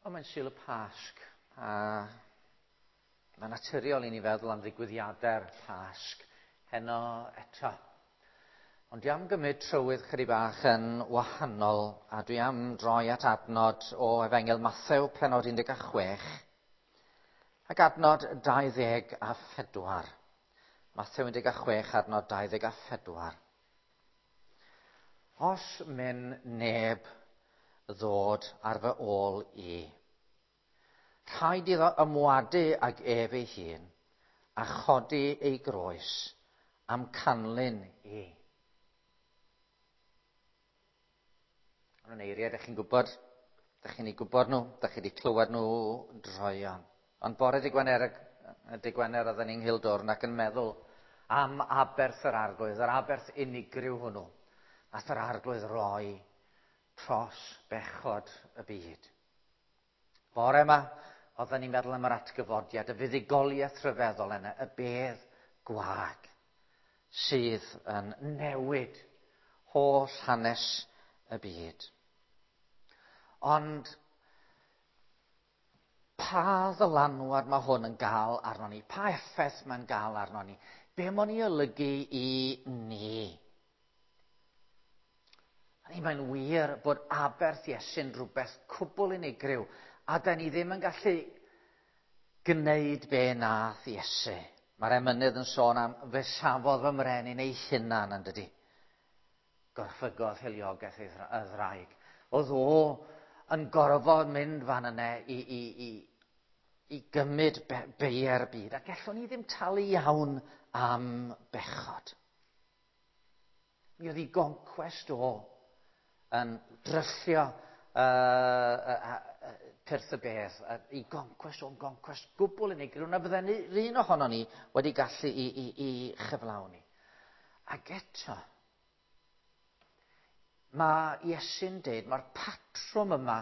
Wel, mae'n Sul y Pasg, a mae'n naturiol i ni feddwl am ddigwyddiadau'r Pasg heno eto. Ond dwi am gymryd trywydd chydig bach yn wahanol, a dwi am droi at adnod o Efengyl Mathew, pennod 16, ac adnod 24. Mathew 16, adnod 24. Os myn neb ddod ar fy ôl i, rhaid iddo ymwadu ag ef ei hun a chodi ei groes am canlyn i. Maen nhw'n eiriau, ydych chi'n gwybod, ydych chi'n ei gwybod nhw, ydych chi wedi clywed nhw droeon. Ond bore dy Gwener, dy Gwener oedden ni'n Nghildwrn ac yn meddwl am aberth yr Arglwydd, yr aberth unigryw hwnnw. Nath yr Arglwydd roi tros bechod y byd. Bore yma, oedden ni'n meddwl am yr atgyfodiad, y fuddugoliaeth rhyfeddol yna, y bedd gwag sydd yn newid holl hanes y byd. Ond pa ddylanwad mae hwn yn gael arnon ni? Pa effaith mae'n gael arnon ni? Be mae'n ei olygu i ni? Hynny, mae'n wir bod aberth Iesu'n rhywbeth cwbl unigryw, a da ni ddim yn gallu gwneud be nath Iesu. Mae'r emynydd yn sôn am fe safodd fy mrenin ei hunan, yn dydy. Gorffygodd hiliogaeth ei y ddraig. Oedd o yn gorfod mynd fan yna i, i, i, i gymryd be, beiau'r byd, a gallwn ni ddim talu iawn am bechod. Mi oedd ei goncwest o yn dryllio uh, uh, uh, pyrth y bedd, uh, ei goncwest o'n goncwest gwbl unigryw na fydden ni un ohono ni wedi gallu i, i, i chyflawni. Ac eto, mae Iesu'n deud, mae'r patrwm yma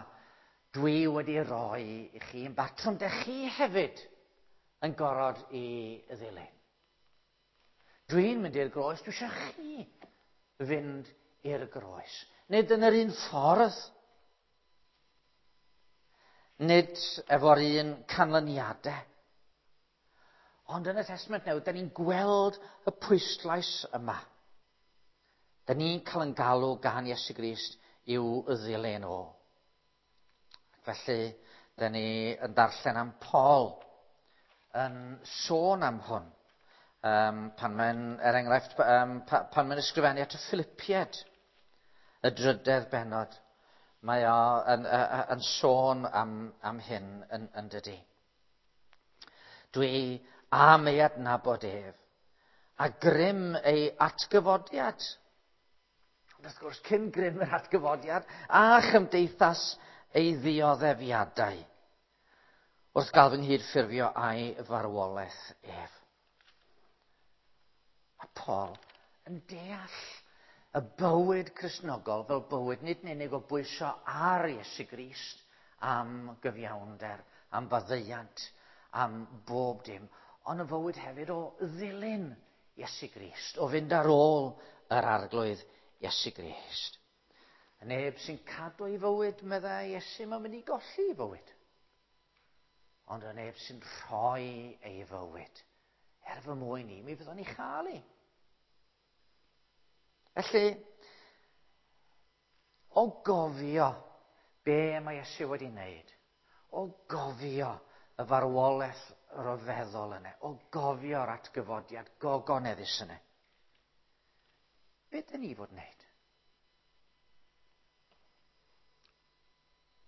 dwi wedi roi i chi yn batrwm dych chi hefyd yn gorfod i ddilyn. Dwi'n mynd i'r groes, dwi eisiau chi fynd i'r groes. Nid yn yr un ffordd. Nid efo'r un canlyniadau. Ond yn y Testament Newydd, da ni'n gweld y pwyslais yma. Da ni'n cael yn galw gan Iesu Grist i'w ddilyn o. Felly, da ni yn darllen am Paul yn sôn am hwn. Um, pan mae'n, er enghraifft, um, pa, pan mae'n ysgrifennu at y Philippiaid, y drydedd bennod, mae o yn, yn, yn sôn am, am hyn yn, yn dydy. Dwi am ei adnabod ef, a grym ei atgyfodiad. Ond wrth gwrs, cyn grym yr atgyfodiad, a chymdeithas ei ddioddefiadau, wrth gael fy nghydffurfio a'i farwolaeth ef. Mae Paul yn deall y bywyd Cristnogol fel bywyd nid yn unig o bwyso ar Iesu Grist am gyfiawnder, am faddeuant, am bob dim, ond y fywyd hefyd o ddilyn Iesu Grist, o fynd ar ôl yr Arglwydd Iesu Grist. Y neb sy'n cadw ei fywyd, meddai Iesu, mae'n mynd i golli ei fywyd. Ond y neb sy'n rhoi ei fywyd, er fy mwyn i, mi fyddwn ni chael ei. Felly, o gofio be mae Iesu wedi wneud, o gofio y farwolaeth ryfeddol yna, o gofio'r atgyfodiad gogoneddus yna, be dyn ni fod wneud?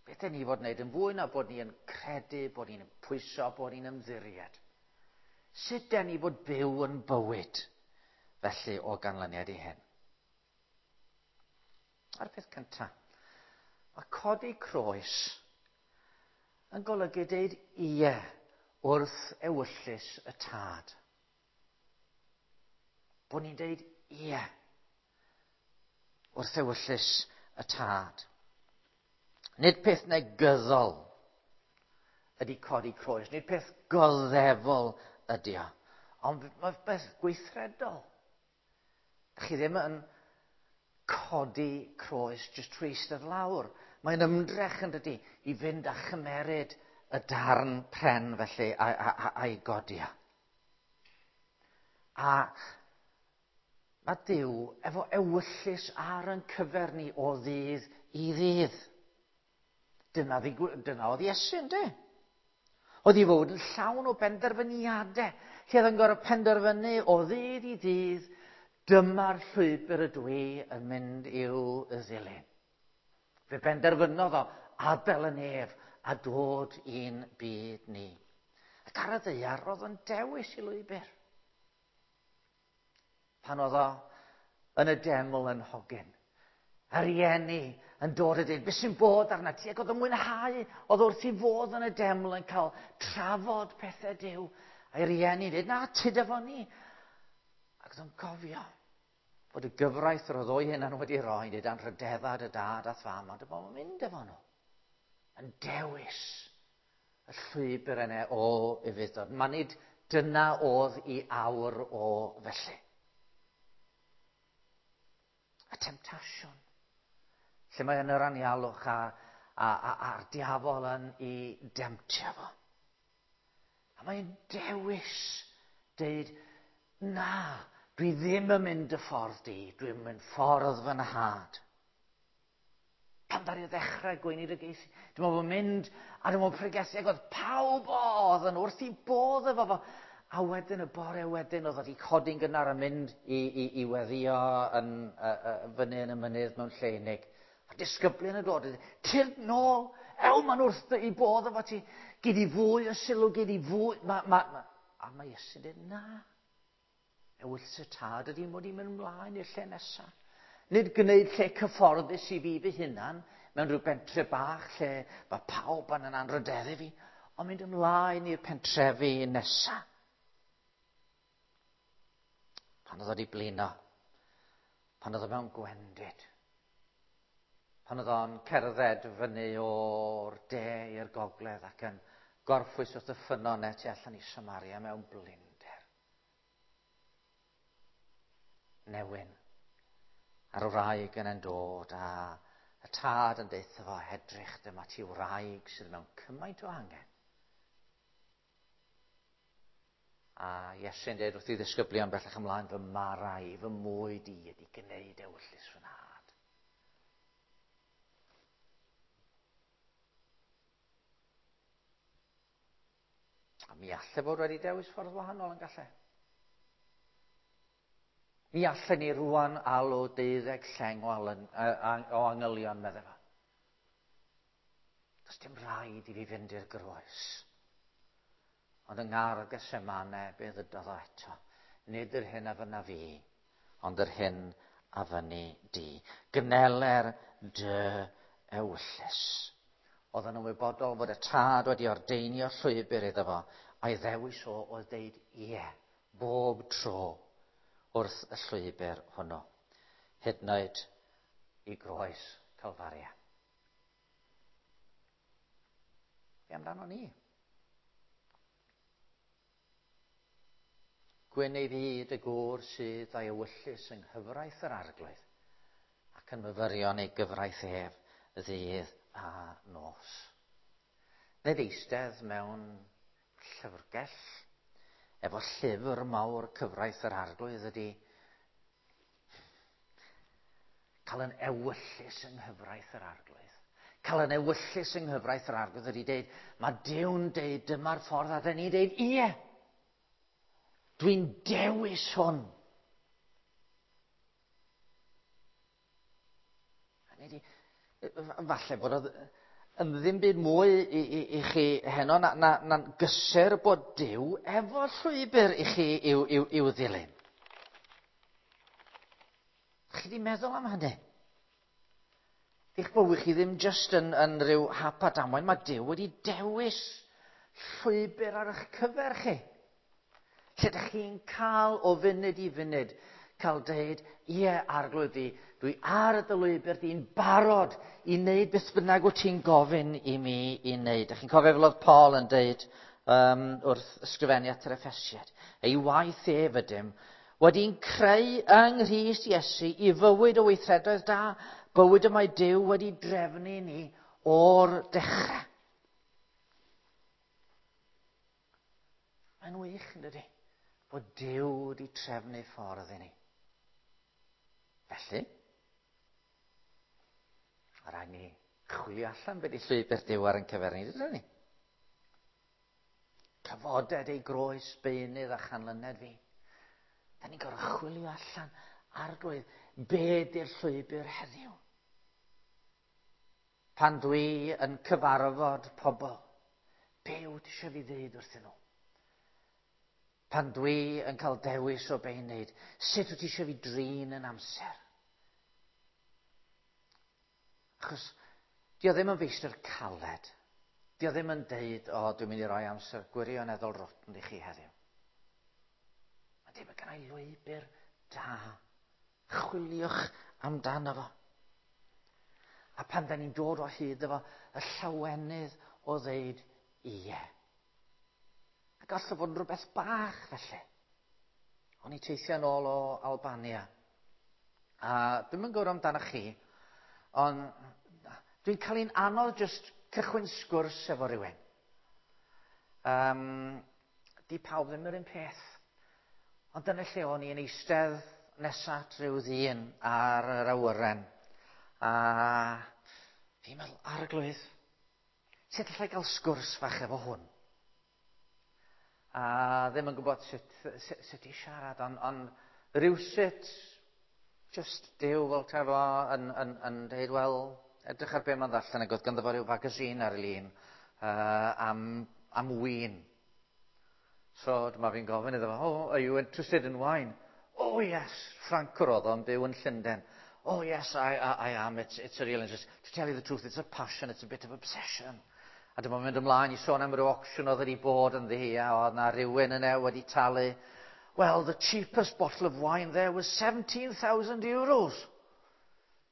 Beth dyn ni fod wneud yn fwy na bod ni yn credu, bod ni'n pwyso, bod ni'n ymddiried? Sut dyn ni fod byw yn bywyd felly o ganlyniad i hyn? A'r peth cyntaf, mae codi croes yn golygu deud ie wrth ewyllys y tad. Bod ni'n deud ie wrth ewyllys y tad. Nid peth negyddol ydy codi croes, nid peth goddefol ydy o, ond mae peth gweithredol. Chi ddim yn codi croes jyst trwy eistedd lawr. Mae'n ymdrech yn dydy i fynd a chymeryd y darn pren felly a'i godi o. A mae Duw efo ewyllys ar yn cyfer ni o ddydd i ddydd. Dyna oedd Iesu, ynddo? Oedd ei fod yn llawn o benderfyniadau, lle oedd yn gorfod penderfynu o ddydd i ddydd, dyma'r llwybr ydw i yn mynd i'w ddilyn. Fe benderfynodd o adael y nef a dod i'n byd ni. Ac ar y ddaear roedd o'n dewis i lwybr. Pan oedd o yn y deml yn hogyn, a rieni yn dod a dweud, beth sy'n bod arna ti? Ac oedd o'n mwynhau, oedd wrth i fod yn y deml yn cael trafod pethau Duw. A'i rieni yn dweud, na, tyd efo ni. Ac oedd o'n cofio bod y gyfraith yr oedd o'i hunan wedi rhoi, dweud anrhydedda dy dad a'th fam, ond bod o'n mynd efo nhw. Yn dewis y llwybr yna o ufudd-dod. Mae nid dyna oedd i awr o felly. Y temtasiwn. Lle mae yn yr anialwch a'r diafol yn ei demtio fo. A mae'n dewis deud, na, dwi ddim yn mynd y ffordd di, dwi'n mynd ffordd fy nhad. Pan ddaru ddechrau gweinidogaethu, dwi'n meddwl mynd a dwi'n meddwl pregethu, ac oedd pawb oedd yn wrth i bodd efo fo. A wedyn y bore wedyn oedd wedi codi'n gynnar a mynd i weddio yn, fyny yn y mynydd mewn lle unig. A disgyblion yn dod, tyrd nôl, ew, ma'n wrth i bodd efo ti, gyd i fwy o sylw, gyd i fwy. A mae Iesu'n dweud, na, ewyllys y tad ydy mod i'n mynd ymlaen i'r lle nesaf. Nid gwneud lle cyfforddus i fi fy hunan, mewn rhyw bentre bach lle mae pawb yn anrhydeddu fi, ond mynd ymlaen i'r pentrefi nesaf. Pan oedd wedi blino, pan oedd o mewn gwendid, pan oedd o'n cerdded fyny o'r de i'r gogledd ac yn gorffwys wrth y ffynnon tu allan i Samaria mewn blinder. Newyn. A'r wraig yn dod a y tad yn deutha fo, edrych, dyma ti wraig sydd mewn cymaint o angen. A Iesu'n dweud wrth i ddisgyblion bellach ymlaen, fy mara i, fy mwyd i ydy gwneud ewyllys fy nhad. A mi alle fod wedi dewis ffordd wahanol yn gallu. Mi allen ni rwan alw 12 lleng o angylion, meddai fo. Does dim rhaid i fi fynd i'r groes. Ond yng ngardd Gethsemane, be ddydodd o eto? Nid yr hyn a fynna fi, ond yr hyn a fynni di. Gneler dy ewyllys. Oedd yn ymwybodol fod y tad wedi ordeinio llwybr iddo fo, a'i ddewis o oedd deud ie, bob tro wrth y llwybr hwnnw, hyd yn oed i groes Calfaria. Be amdano ni? Gwyn ei fyd y gŵr sydd a'i ewyllys yng nghyfraith yr arglwydd ac yn myfyrio yn ei gyfraith ef ddydd a nos. Nid eistedd mewn llyfrgell efo llyfr mawr cyfraith yr arglwydd ydy cael yn ewyllys yng nghyfraith yr arglwydd. Cael yn ewyllys yng nghyfraith yr arglwydd ydy deud, mae Duw'n deud dyma'r ffordd a dyn ni'n deud, ie, dwi'n dewis hwn. Falle bod oedd yn ddim byd mwy i chi heno na'n gysur bod Duw efo llwybr i chi i'w ddilyn. Chi di meddwl am hynny? Eich bywyd chi ddim jyst yn rhyw hap a damwain, mae Duw wedi dewis llwybr ar eich cyfer chi. Lle ydych chi'n cael o funud i funud, cael deud, ie, arglwydd di, dwi ar y lwybr di'n barod i wneud beth bynnag wyt ti'n gofyn i mi i wneud. Ydych chi'n cofio fel oedd Paul yn deud wrth ysgrifennu at yr Effesiaid, ei waith ef ydym, wedi'n creu yng Nghrist Iesu i fywyd o weithredoedd da, Bywyd y mae Duw wedi drefnu ni o'r dechrau. Mae'n wych, yn dydy, bod Duw wedi trefnu ffordd i ni. Felly, mae rhaid ni chwilio allan beth i llwybr Duw ar ein cyfer ni, dydyn ni? Cyfoded ei groes beunydd a chanlyned fi. Da ni'n gorfod chwilio allan, Arglwydd, be di'r llwybr heddiw? Pan dwi yn cyfarfod pobl, be wyt ti eisiau fi ddeud wrthyn nhw? Pan dwi yn cael dewis o be i wneud, sut wyt ti eisiau fi drin yn amser? Achos, di o ddim yn feistr caled. Di o ddim yn deud, o, dwi'n mynd i roi amser gwirioneddol rotten i chi heddiw. Mae'n deud, mae gennau lwybr da. Chwiliwch amdano fo. A pan da ni'n dod o hyd efo, y llawenydd o ddeud ie. A gall o fod yn rhywbeth bach felly. O'n i teithio yn ôl o Albania. A dwi'm yn gwybod amdano chi, ond dwi'n cael un anodd just cychwyn sgwrs efo rhywun. Di pawb ddim yr un peth. Ond dyna lle o'n i'n eistedd nesa at ryw ddyn ar yr awyren. A fi'n meddwl, Arglwydd, sut allai gael sgwrs fach efo hwn? A ddim yn gwybod sut i siarad, ond rhywsut, just Duw fel ta fo yn dweud, wel, edrych ar be mae'n ddarllen, ac oedd ganddo fo ryw magazine ar ei lun am win. So dyma fi'n gofyn iddo fo, oh, are you interested in wine? Oh yes, Ffrancwr oedd o'n byw yn Llundain. Oh yes, I am, it's a real interest. To tell you the truth, it's a passion, it's a bit of obsession. A dyma mynd ymlaen i sôn am ryw auction oedd wedi bod yn ddi, a oedd na rhywun yna wedi talu. Well, the cheapest bottle of wine there was 17,000 euros.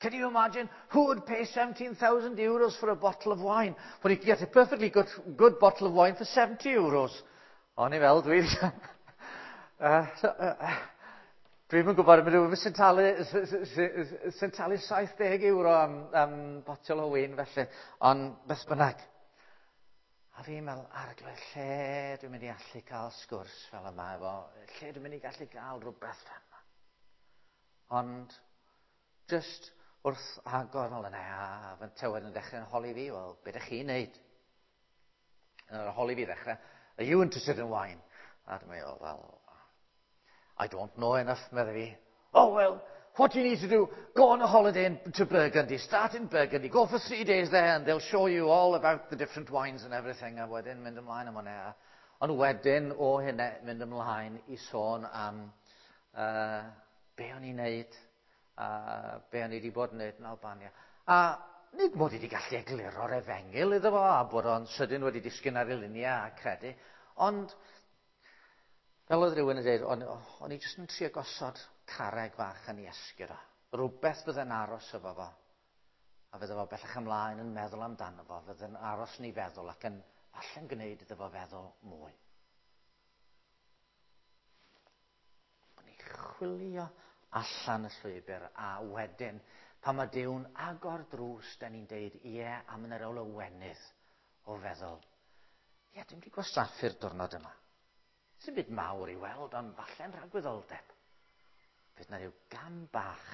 Can you imagine who would pay 17,000 euros for a bottle of wine when you could get a perfectly good bottle of wine for 70 euros? O'n i fel, dwi... Dwi'm yn gwybod, mae rhywun sy'n talu 70 euro am botel o win felly, ond beth bynnag. A fi'n meddwl, Arglwydd, lle dwi'n mynd i allu cael sgwrs fel yma efo, lle dwi'n mynd i gallu gael rhywbeth fel yma. Ond, just wrth agor fel yna, a fy tywed yn dechrau'n holi fi, wel, be ydych chi'n neud? Yn yr holi fi ddechrau, are you interested in wine? A dwi'n meddwl, well, I don't know enough, medde fi. Oh, well, what do you need to do? Go on a holiday to Burgundy. Start in Burgundy. Go for 3 days there and they'll show you all about the different wines and everything. A wedyn mynd ymlaen am hwnna. Ond wedyn o hynna mynd ymlaen i sôn am be o'n i'n neud, a be o'n i wedi bod yn neud yn Albania. A nid mod i wedi gallu egluro'r efengyl iddo fo, a bod o'n sydyn wedi disgyn ar ei luniau a credu, ond fel oedd rhywun yn dweud, o'n i jyst yn trio gosod carreg fach yn ei esgyrra. Rhywbeth fydde'n aros efo fo. A fydde fo bellach ymlaen yn meddwl amdano fo, fydde'n aros yn ei feddwl ac yn falle'n gwneud iddo fo feddwl mwy. O'n i chwilio allan y llwybr, a wedyn, pan mae Duw'n agor drws, da ni'n deud, ie, a mae'n yr lawenydd o feddwl, ie, dwi'n wedi gwastraffu'r diwrnod yma. Sy'n byd mawr i weld, ond falle'n rhagwyddoldeb. Fydd na ryw gam bach.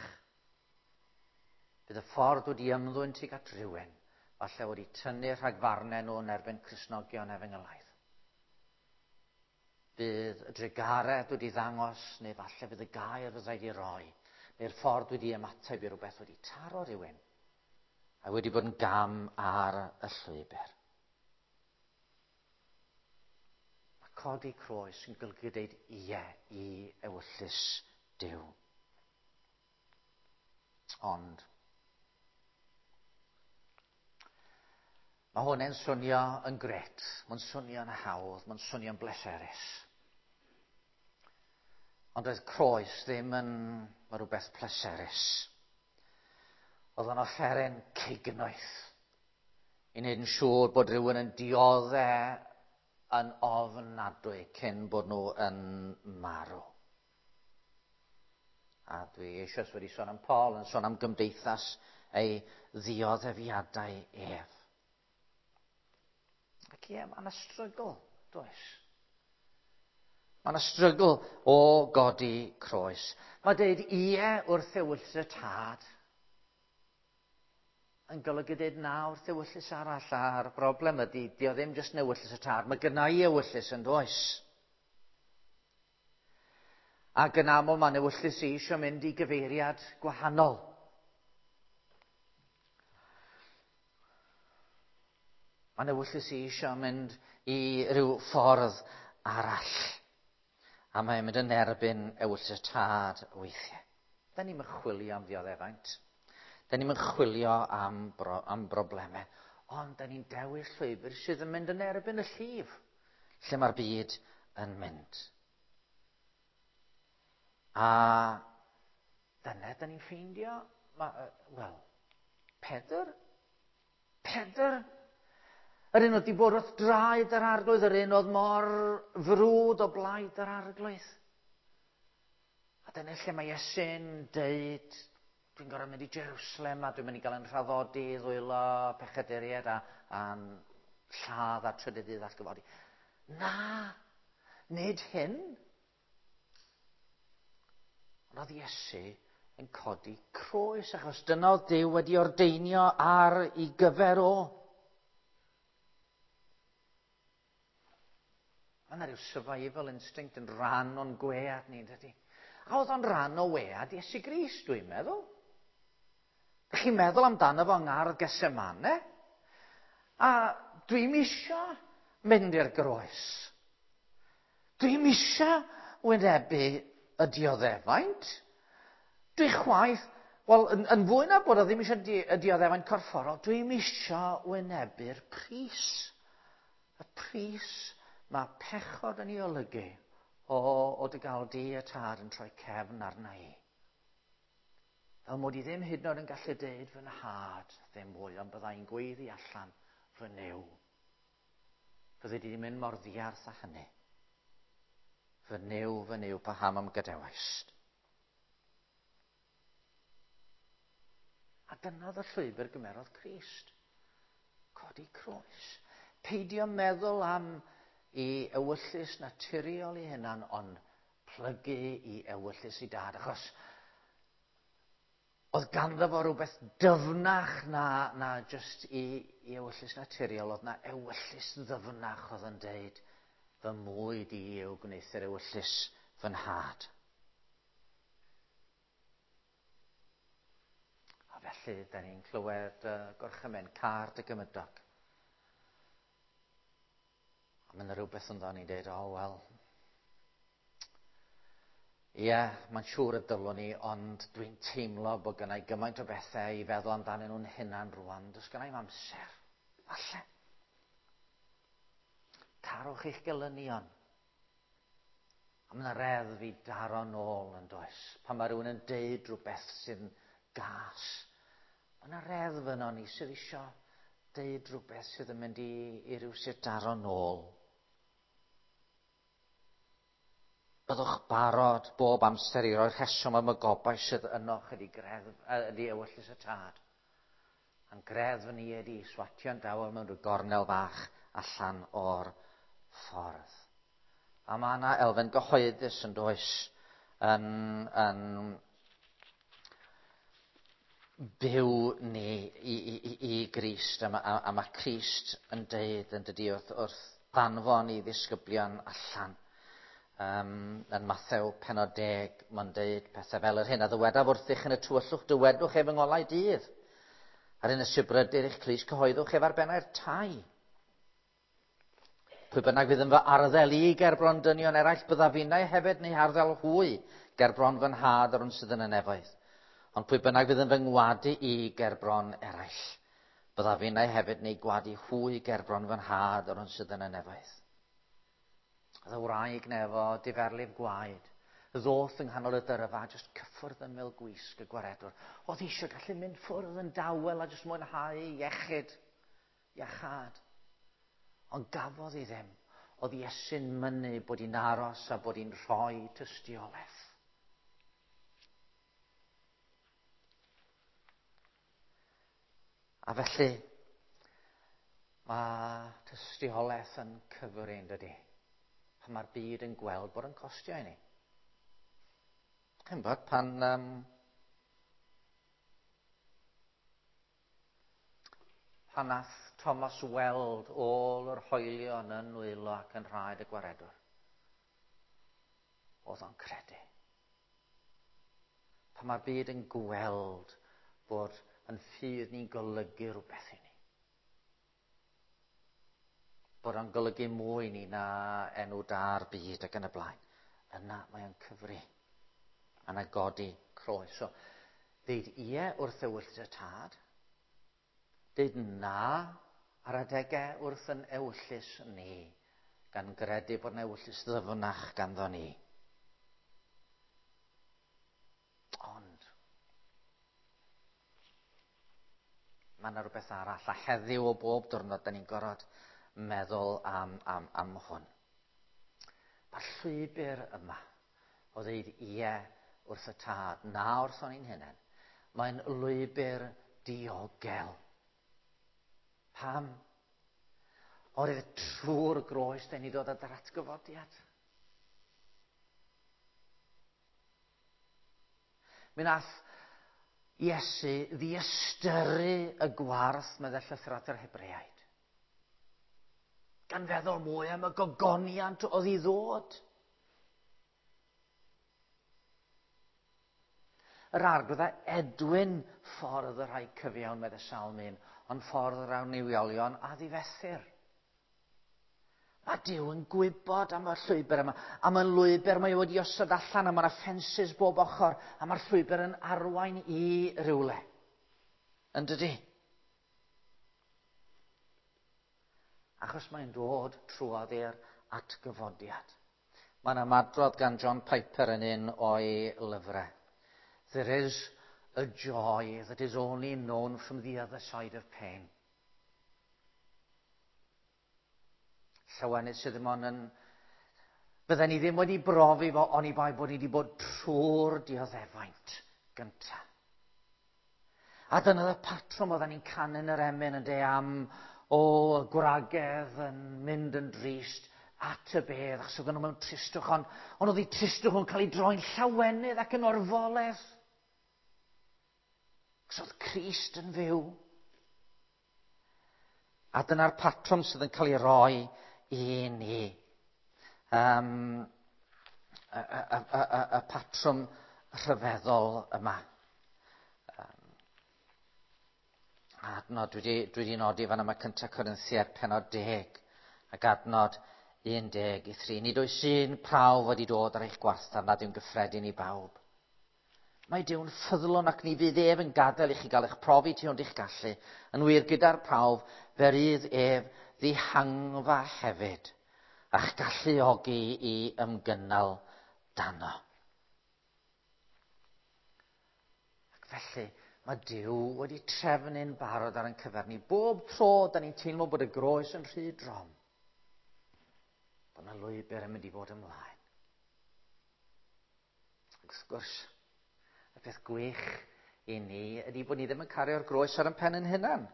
Bydd y ffordd wedi ymddwyn tuag at rhywun, falle wedi tynnu rhagfarnau nhw yn erbyn Cristnogion efengylaidd. Bydd y drugaredd wedi ddangos, neu falle fydd y gair fyddai wedi roi, neu'r ffordd wedi ymateb i rhywbeth wedi taro rhywun, a wedi bod yn gam ar y llwybr. Mae codi croes yn golygu deud ie i ewyllys Duw. Ond mae hwn yn swnio yn gret, mae'n swnio'n hawdd, mae'n swnio'n bleserus. Ond oedd croes ddim yn rhywbeth pleserus. Oedd o'n offeryn cignoeth i wneud yn siŵr bod rhywun yn diodde yn ofnadwy cyn bod nhw yn marw. A dwi eisoes wedi sôn am Paul, yn sôn am gymdeithas ei ddioddefiadau ef. Ac ie, mae yna strygl, does? Mae yna strygl o godi croes. Mae deud ie wrth ewyllys y tad yn golygu deud na wrth ewyllys arall, a'r broblem ydy, di o ddim jyst yn ewyllys y tad, mae gynna i ewyllys yn does. Ac yn aml mae'n ewyllys i eisiau mynd i gyfeiriad gwahanol. Mae'n ewyllys i eisiau mynd i ryw ffordd arall. A mae'n mynd yn erbyn ewyllys y tad weithiau. Da ni'n chwilio am ddioddefaint. Da ni'n chwilio am, bro, am broblemau. Ond da ni'n dewis llwybr sydd yn mynd yn erbyn y llif, lle mae'r byd yn mynd. A dyna da ni'n ffeindio, wel, Pedr. Pedr. Yr un oedd wedi bod wrth draed yr arglwydd, yr un oedd mor frwd o blaid yr arglwydd. A dyna lle mae Iesu'n deud, dwi'n gorfod mynd i Jerusalem a dwi'n mynd i gael yn rhaddodi i ddwylo pechaduriaid a, a'n lladd a trydydd dydd atgyfodi. Na, nid hyn. Ond oedd Iesu yn codi croes, achos dyna oedd Duw wedi ordeinio ar ei gyfer o. Mae yna rhyw survival instinct yn rhan o'n gwead ni, dydy? A oedd o'n rhan o wead Iesu Grist, dwi'n meddwl. Dych chi'n meddwl amdano fo yng ngardd Gethsemane? A dwi'm isio mynd i'r groes. Dwi'm isio wynebu y dioddefaint. Dwi chwaith, wel, yn, yn fwy na bod o ddim eisiau di, y dioddefaint corfforol, dwi'm isio wynebu'r pris. Y pris mae pechod yn ei olygu o, o dy gael di y tad yn troi cefn arna i. Fel mod i ddim hyd yn oed yn gallu deud fy nhad ddim mwy, ond byddai'n gweiddi allan fy Nuw. Fyddi di mynd mor ddiarth â hynny. Fy Nuw, fy Nuw, paham am gadawaist? A dyna oedd y llwybr gymerodd Crist. Codi croes. Peidio meddwl am i ewyllys naturiol ei hunan, ond plygu i ewyllys i dad. Achos oedd ganddo fo rhywbeth dyfnach na, na just i, i ewyllys naturiol, oedd na ewyllys ddyfnach oedd yn deud, fy mwyd i yw gwneuthur ewyllys fy nhad. A felly, da ni'n clywed uh, gorchymyn car dy gymydog. A mae yna rhywbeth ynddo ni'n deud, o, oh, wel, ie, yeah, mae'n siŵr y dylwn ni, ond dwi'n teimlo bod gennau gymaint o bethau i feddwl amdanyn nhw'n hunan rwan. Does gennau amser. Falle. Carwch eich gelynion. A mae yna reddf i daro nôl yn does. Pan mae rhywun yn deud rhywbeth sy'n gas. Mae yna reddf yno ni sydd eisiau deud rhywbeth sydd yn mynd i, i ryw sut daro nôl. Byddwch barod bob amser i roi'r rheswm am y gobaith sydd ynoch ydy, greddf, ydy ewyllys y tad. A'n greddf ni ydy swatio'n dawel mewn rhyw gornel fach allan o'r ffordd. A mae yna elfen gyhoeddus yn does yn, yn byw ni i, i, i, i Grist. A, a, a mae Crist yn deud yn dydy wrth, wrth ddanfon i ddisgyblion allan. Um, yn Mathew penod 10, mae'n deud pethau fel yr hyn a ddywedaf wrthych yn y tywyllwch, dywedwch ef yng ngolau dydd. Ar un y sibrydur eich clust cyhoeddwch ef ar bennau'r tai. Pwy bynnag fydd yn fy arddel i ger bron dynion eraill, byddaf finnau hefyd neu arddel hwy ger bron fy nhad yr hwn sydd yn y nefoedd. Ond pwy bynnag fydd yn fy ngwadu i ger bron eraill, byddaf finnau hefyd neu gwadu hwy ger bron fy nhad yr hwn sydd yn y nefoedd. Oedd y wraig nefo diferlif gwaed, ddoth yng nghanol y dyrfa, jyst cyffwrdd ymyl gwisg y gwaredwr. Oedd eisiau gallu mynd ffwrdd yn dawel a jyst mwynhau iechyd, iachad. Ond gafodd hi ddim. Oedd Iesu'n mynnu bod hi'n aros a bod hi'n rhoi tystiolaeth. A felly, mae tystiolaeth yn cyfrin, dydy. Pan mae'r byd yn gweld bod yn costio i ni. Chi'n bod, pan pan nath Thomas weld ôl yr hoelion yn nwylo ac yn rhaid y gwaredwr, oedd o'n credu. Pan mae'r byd yn gweld bod yn ffydd ni'n golygu rhywbeth i ni. Bod o'n golygu mwy ni na enw da'r byd ac yn y blaen. Yna mae o'n cyfri. Yna godi croes. So, ddeud ie wrth ewyllys y tad. Deud na ar adegau wrth yn ewyllys ni. Gan gredu bod yn ewyllys ddyfnach ganddo ni. Ond, mae yna rhywbeth arall, a heddiw o bob diwrnod, da ni'n gorfod meddwl am, am, am hwn. Mae'r llwybr yma o ddeud ie wrth y tad, na wrth o'n i'n hunain, mae'n lwybr diogel. Pam? Oherwydd trwy'r groes, da ni dod at yr atgyfodiad. Mi nath Iesu ddiystyru y gwarth meddai llythyr at yr Hebreaid. Gan feddwl mwy am y gogoniant oedd i ddod. Yr arglwydd a edwyn ffordd y rhai cyfiawn, meddai Salm 1, ond ffordd yr annuwiolion a ddifethir. Mae Duw yn gwybod am y llwybr yma, am y lwybr mae wedi osod allan, a mae'na ffensys bob ochr, a mae'r llwybr yn arwain i rywle. Yn dydy? Achos mae'n dod trwodd i'r atgyfodiad. Mae'n ymadrodd gan John Piper yn un o'i lyfrau. There is a joy that is only known from the other side of pain. Llawenydd sydd ddim ond yn... Bydden ni ddim wedi brofi fo oni bai bod ni wedi bod trwy'r dioddefaint gyntaf. A dyna y patrwm oedden ni'n canu yn yr emyn yn de am o y gwragedd yn mynd yn drist at y bedd, achos oedden nhw mewn tristwch, ond, ond oedd eu tristwch nhw'n cael ei droi'n llawenydd ac yn orfoledd. Achos oedd Crist yn fyw. A dyna'r patrwm sydd yn cael ei roi i ni. Um, y, y, y, y, y patrwm rhyfeddol yma. Um, adnod, dwi wedi, dwi wedi nodi fan yma cyntaf Corinthiaid penod 10 ac adnod 13. Nid oes un prawf wedi dod ar eich gwarthaf nad yw'n gyffredin i bawb. Mae Duw'n ffyddlon ac ni fydd ef yn gadael i chi gael eich profi tu hwnt i'ch gallu. Yn wir gyda'r prawf, fe rydd ef ddihangfa hefyd, a'ch galluogi i ymgynnal dano. Ac felly, mae Duw wedi trefnu'n barod ar ein cyfer ni. Bob tro, da ni'n teimlo bod y groes yn rhy drom. Bod yna lwybr yn mynd i fod ymlaen. Ac wrth gwrs, y peth gwych i ni ydy bod ni ddim yn cario'r groes ar ein pen yn hunan.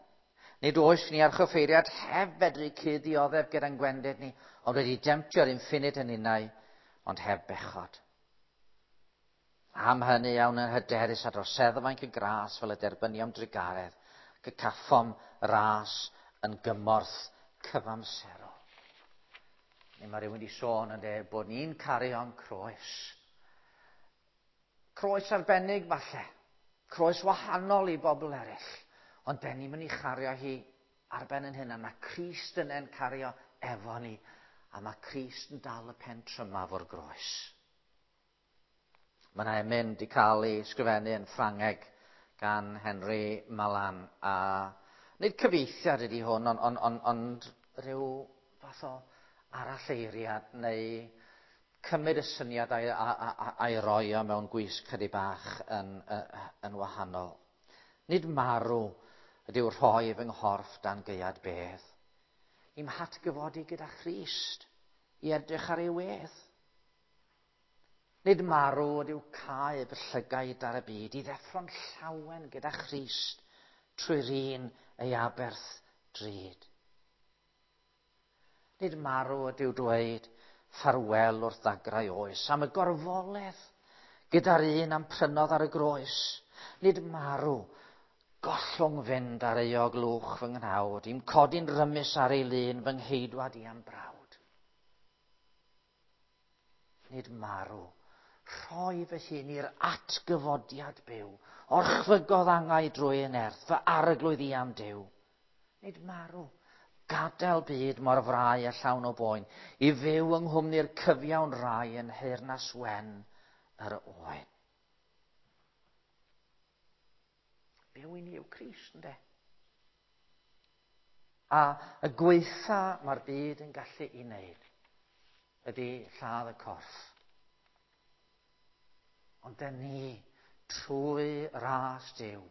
Nid oes ni archoffeiriad heb fedru cyd-dioddef gyda'n gwendid ni, ond wedi demtio'r infinite yn unnau, ond heb bechod. Am hynny iawn yn hyderus a dros seddfainc y gras fel y derbyniom drugaredd, ac y caffom ras yn gymorth cyfamserol. Neu mae rhywun wedi sôn yn dweud bod ni'n cario'n croes. Croes arbennig falle. Croes wahanol i bobl eraill. Ond den ni'n mynd i chario hi ar ben yn hynna. Mae Crist yn en cario efo ni. A mae Crist yn dal y pen trymaf o'r groes. Mae yna emyn wedi cael ei sgrifennu yn Ffrangeg gan Henry Malan. A nid cyfieithiad ydy hwn, ond on, on, ond rhyw fath o aralleiriad neu cymryd y syniad a'i, a'i roi o mewn gwisg chydig bach yn, yn wahanol. Nid marw ydyw rhoi fy nghorff dan gaead bedd. I'm hatgyfodi gyda Christ i edrych ar ei wedd. Nid marw ydyw cael fy llygaid ar y byd i ddeffro'n llawen gyda Christ trwy'r un ei aberth drud. Nid marw ydyw dweud ffarwel wrth ddagrau oes, am y gorfoledd gyda'r un am prynodd ar y groes. Nid marw, gollwng fynd ar euog lwch fy nghnawd, i'm codi'n rymus ar ei lun fy ngheidwad i am brawd. Nid marw, rhoi fy hun i'r atgyfodiad byw, orchfygodd angau drwy yn erth, fy arglwydd i am Duw. Nid marw, gadael byd mor frau a llawn o boen, i fyw yng nghwmni'r cyfiawn rai yn nheyrnas wen yr oen. Byw i ni yw Crist, yndê? A y gweitha mae'r byd yn gallu i wneud ydy lladd y corff. Ond dyn ni, trwy ras Duw,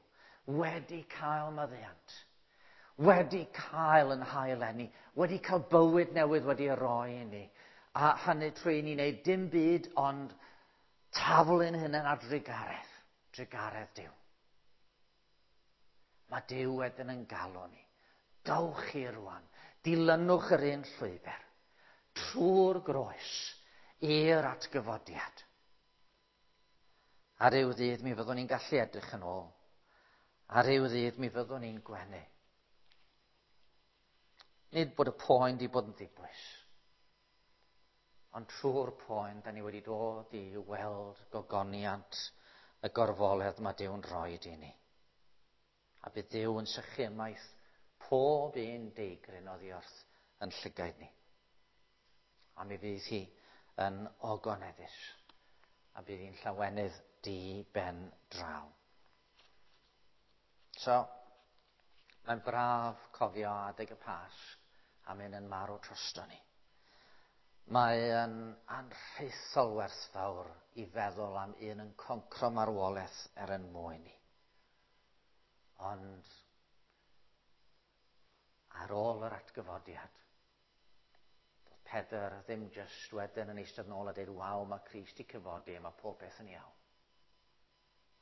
wedi cael maddeuant, wedi cael yn hael enni, wedi cael bywyd newydd wedi ei roi i ni, a hynny trwy i ni wneud dim byd ond taflu'n hunain ar drugaredd, drugaredd Duw. Mae Duw wedyn yn galw ni. Dowch chi rwan, dilynwch yr un llwybr, trwy'r groes, i'r atgyfodiad. A ryw ddydd mi fyddwn ni'n gallu edrych yn ôl. A ryw ddydd mi fyddwn ni'n gwenu. Nid bod y poen di bod yn ddibwys. Ond trwy'r poen, da ni wedi dod i weld gogoniant y gorfoledd mae Duw'n rhoi i ni. A bydd Duw yn sychu ymaith pob un deigryn oddi wrth yn llygaid ni. A mi fydd hi yn ogoneddus. A bydd hi'n llawenydd di ben draw. So, mae'n braf cofio adeg y Pasg am un yn marw drosto ni. Mae yn anrhaethol werthfawr i feddwl am un yn concro marwolaeth er yn mwyn ni. Ond ar ôl yr atgyfodiad, doedd Pedr ddim jyst wedyn yn eistedd nôl a dweud, waw, mae Crist i cyfodi a mae pob peth yn iawn.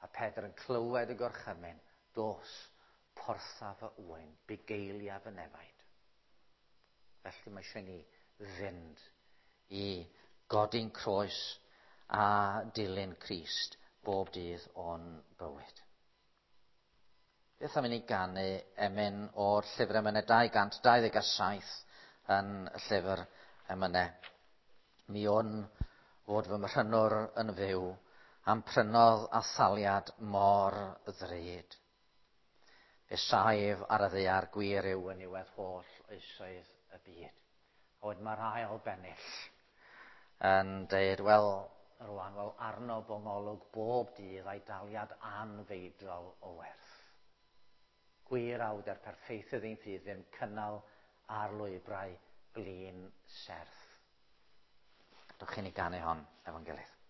A Pedr yn clywed y gorchymyn, dos, portha fy ŵyn, bugeilia fy nefaid. Felly mae eisiau ni fynd i godi'n croes a dilyn Crist bob dydd o'n bywyd. Beth am i ni ganu emyn o'r llyfr emynau 227 yn y llyfr emynau. Mi wn fod fy mhrynwr yn fyw am prynodd a thaliad mor ddrud. Fe saif ar y ddaear gwir yw yn niwedd holl oesoedd y byd. A wedyn mae'r ail bennill yn deud, wel, rwan, wel, arno bongolwg bob dydd a'i daliad anfeidrol o werth. Gwir awd er perffeithydd ein ffydd ddim cynnal ar lwybrau blin serth. Dwch chi ni ganu hon efo'n gilydd.